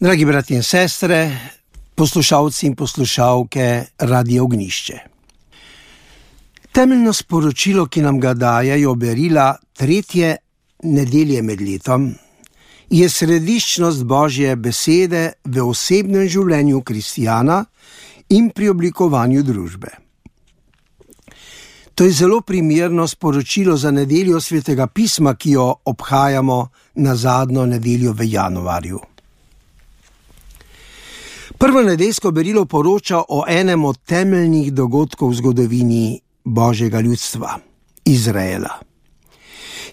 Dragi brati in sestre, poslušalci in poslušalke Radia Ognjišče. Temeljno sporočilo, ki nam ga dajejo berila tretje nedelje med letom, je središčnost Božje besede v osebnem življenju kristjana in pri oblikovanju družbe. To je zelo primerno sporočilo za nedeljo Svetega pisma, ki jo obhajamo na zadnjo nedeljo v januarju. Prvo nedeljsko berilo poroča o enem od temeljnih dogodkov v zgodovini Božjega ljudstva, Izraela.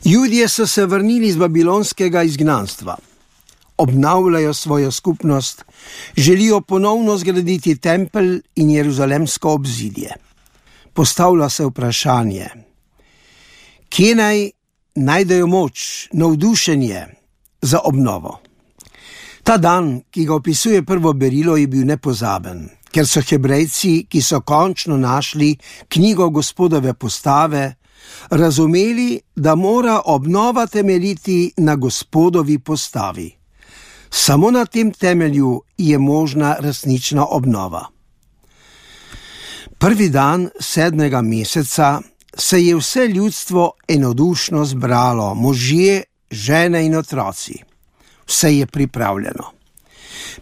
Judje so se vrnili iz babilonskega izgnanstva, obnavljajo svojo skupnost, želijo ponovno zgraditi tempelj in jeruzalemsko obzidje. Postavlja se vprašanje, kje naj najdejo moč, navdušenje za obnovo. Ta dan, ki ga opisuje prvo berilo, je bil nepozaben, ker so Hebrejci, ki so končno našli knjigo Gospodove postave, razumeli, da mora obnova temeljiti na Gospodovi postavi. Samo na tem temelju je možna resnična obnova. Prvi dan 7. meseca se je vse ljudstvo enodušno zbralo, možje, žene in otroci. Vse je pripravljeno.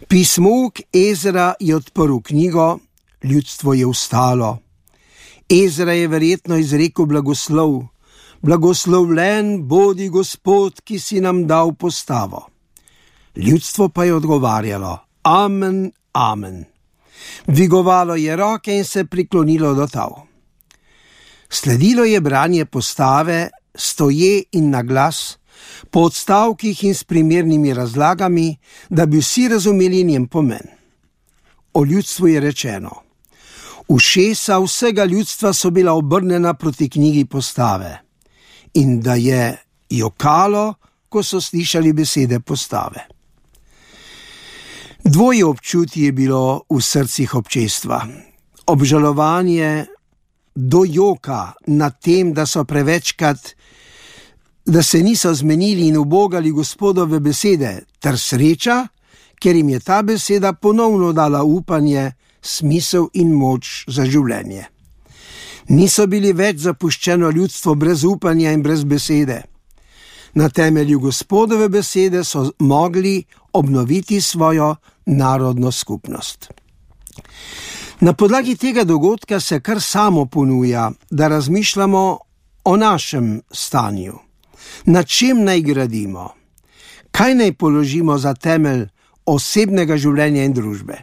Pismuk Ezra je odprl knjigo, ljudstvo je vstalo. Ezra je verjetno izrekel blagoslov. Blagoslovljen bodi Gospod, ki si nam dal postavo. Ljudstvo pa je odgovarjalo, amen, amen. Dvigovalo je roke in se priklonilo do tal. Sledilo je branje postave, stoje in na glas, po odstavkih in s primernimi razlagami, da bi vsi razumeli njen pomen. O ljudstvu je rečeno, ušesa vsega ljudstva so bila obrnjena proti knjigi postave in da je jokalo, ko so slišali besede postave. Dvoje občutje je bilo v srcih občestva. Obžalovanje do joka nad tem, da se niso zmenili in ubogali Gospodove besede, ter sreča, ker jim je ta beseda ponovno dala upanje, smisel in moč za življenje. Niso bili več zapuščeno ljudstvo brez upanja in brez besede. Na temelju Gospodove besede so mogli obnoviti svojo narodno skupnost. Na podlagi tega dogodka se kar samo ponuja, da razmišljamo o našem stanju. Na čem naj gradimo? Kaj naj položimo za temelj osebnega življenja in družbe?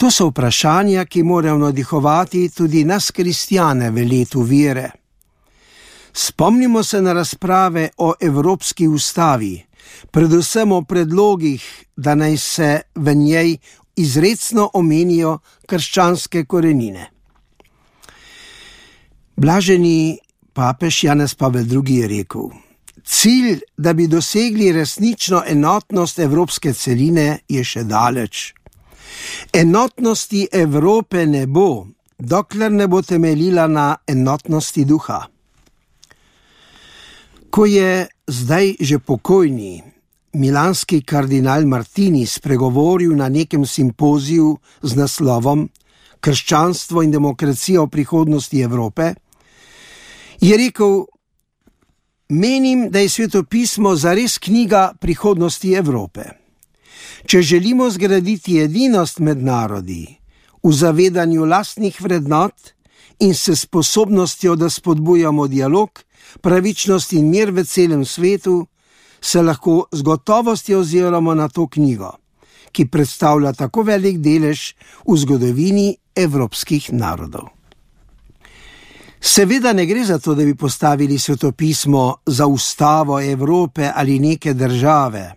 To so vprašanja, ki morajo navdihovati tudi nas kristjane v letu vere. Spomnimo se na razprave o Evropski ustavi, predvsem o predlogih, da naj se v njej izrecno omenijo krščanske korenine. Blaženi papež Janez Pavel II. Je rekel, cilj, da bi dosegli resnično enotnost evropske celine, je še daleč. Enotnosti Evrope ne bo, dokler ne bo temeljila na enotnosti duha. Ko je zdaj že pokojni milanski kardinal Martini spregovoril na nekem simpoziju z naslovom Krščanstvo in demokracija v prihodnosti Evrope, je rekel, menim, da je svetopismo zares knjiga prihodnosti Evrope. Če želimo zgraditi edinost med narodi v zavedanju lastnih vrednot in s sposobnostjo, da spodbujamo dialog, pravičnost in mir v celem svetu, se lahko z gotovostjo oziramo na to knjigo, ki predstavlja tako velik delež v zgodovini evropskih narodov. Seveda ne gre za to, da bi postavili svetopismo za ustavo Evrope ali neke države,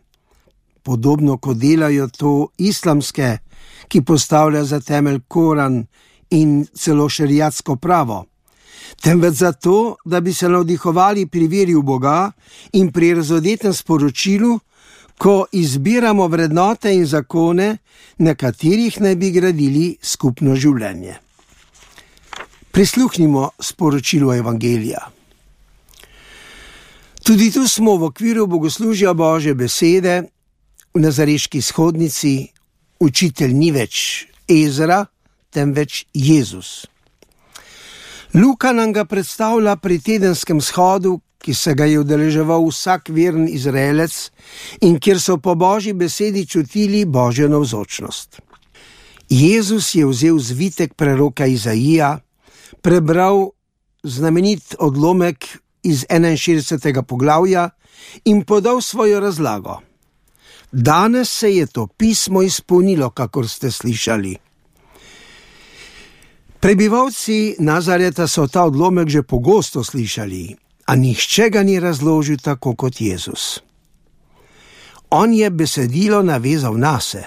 podobno kot delajo to islamske, ki postavlja za temelj Koran in celo šeriatsko pravo, temveč zato, da bi se navdihovali pri veri v Boga in pri razodetem sporočilu, ko izbiramo vrednote in zakone, na katerih naj bi gradili skupno življenje. Prisluhnimo sporočilu Evangelija. Tudi tu smo v okviru bogoslužja Božje besede v nazareški shodnici učitelj ni več Ezra, temveč Jezus. Luka nam ga predstavlja pri tedenskem shodu, ki se ga je udeleževal vsak veren Izraelec in kjer so po Božji besedi čutili Božjo navzočnost. Jezus je vzel zvitek preroka Izaija, prebral znamenit odlomek iz 61. poglavja in podal svojo razlago. Danes se je to pismo izpolnilo, kakor ste slišali. Prebivalci Nazareta so ta odlomek že pogosto slišali, a nihče ga ni razložil tako kot Jezus. On je besedilo navezal nase.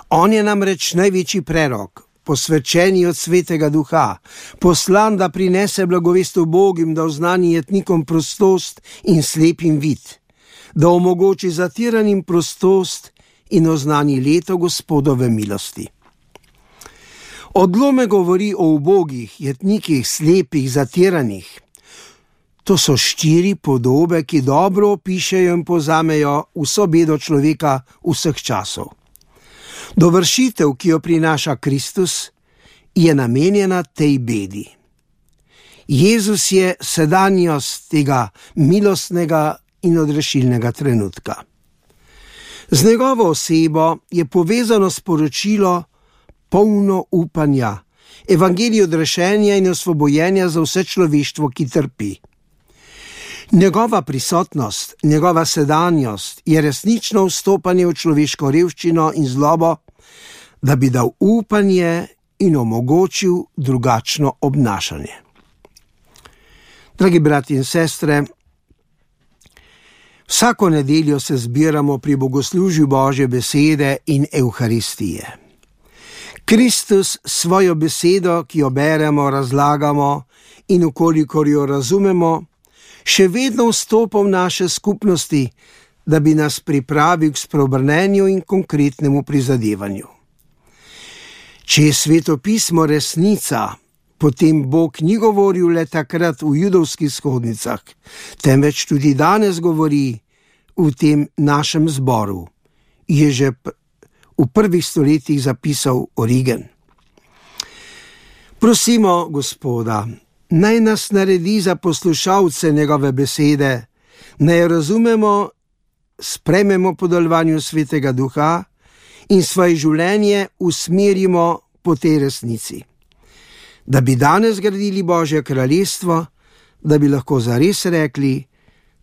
On je namreč največji prerok, posvečeni od Svetega Duha, poslan, da prinese blagovest ubogim, da oznani jetnikom prostost in slepim vid, da omogoči zatiranim prostost in oznani leto Gospodove milosti. Odlomek govori o ubogih, jetnikih, slepih, zatiranih. To so 4 podobe, ki dobro opišejo in povzamejo vso bedo človeka vseh časov. Dovršitev, ki jo prinaša Kristus, je namenjena tej bedi. Jezus je sedanjost tega milostnega in odrešilnega trenutka. Z njegovo osebo je povezano sporočilo polno upanja, evangelij odrešenja in osvobojenja za vse človeštvo, ki trpi. Njegova prisotnost, njegova sedanjost je resnično vstopanje v človeško revščino in zlobo, da bi dal upanje in omogočil drugačno obnašanje. Dragi brati in sestre, vsako nedeljo se zbiramo pri bogoslužju Božje besede in Evharistije. Kristus svojo besedo, ki jo beremo, razlagamo in ukolikor jo razumemo, še vedno vstopa v naše skupnosti, da bi nas pripravil k spreobrnenju in konkretnemu prizadevanju. Če je Sveto pismo resnica, potem Bog ni govoril le takrat v judovskih shodnicah, temveč tudi danes govori v tem našem zboru, je že v prvih stoletjih zapisal Origen. Prosimo Gospoda, naj nas naredi za poslušalce njegove besede, naj razumemo, sprejmemo po delovanju Svetega Duha in svoje življenje usmerimo po tej resnici. Da bi danes gradili Božje kraljestvo, da bi lahko zares rekli: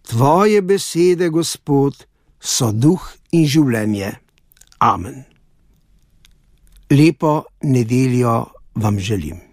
Tvoje besede, Gospod, so duh in življenje. Amen. Lepo nedeljo vam želim.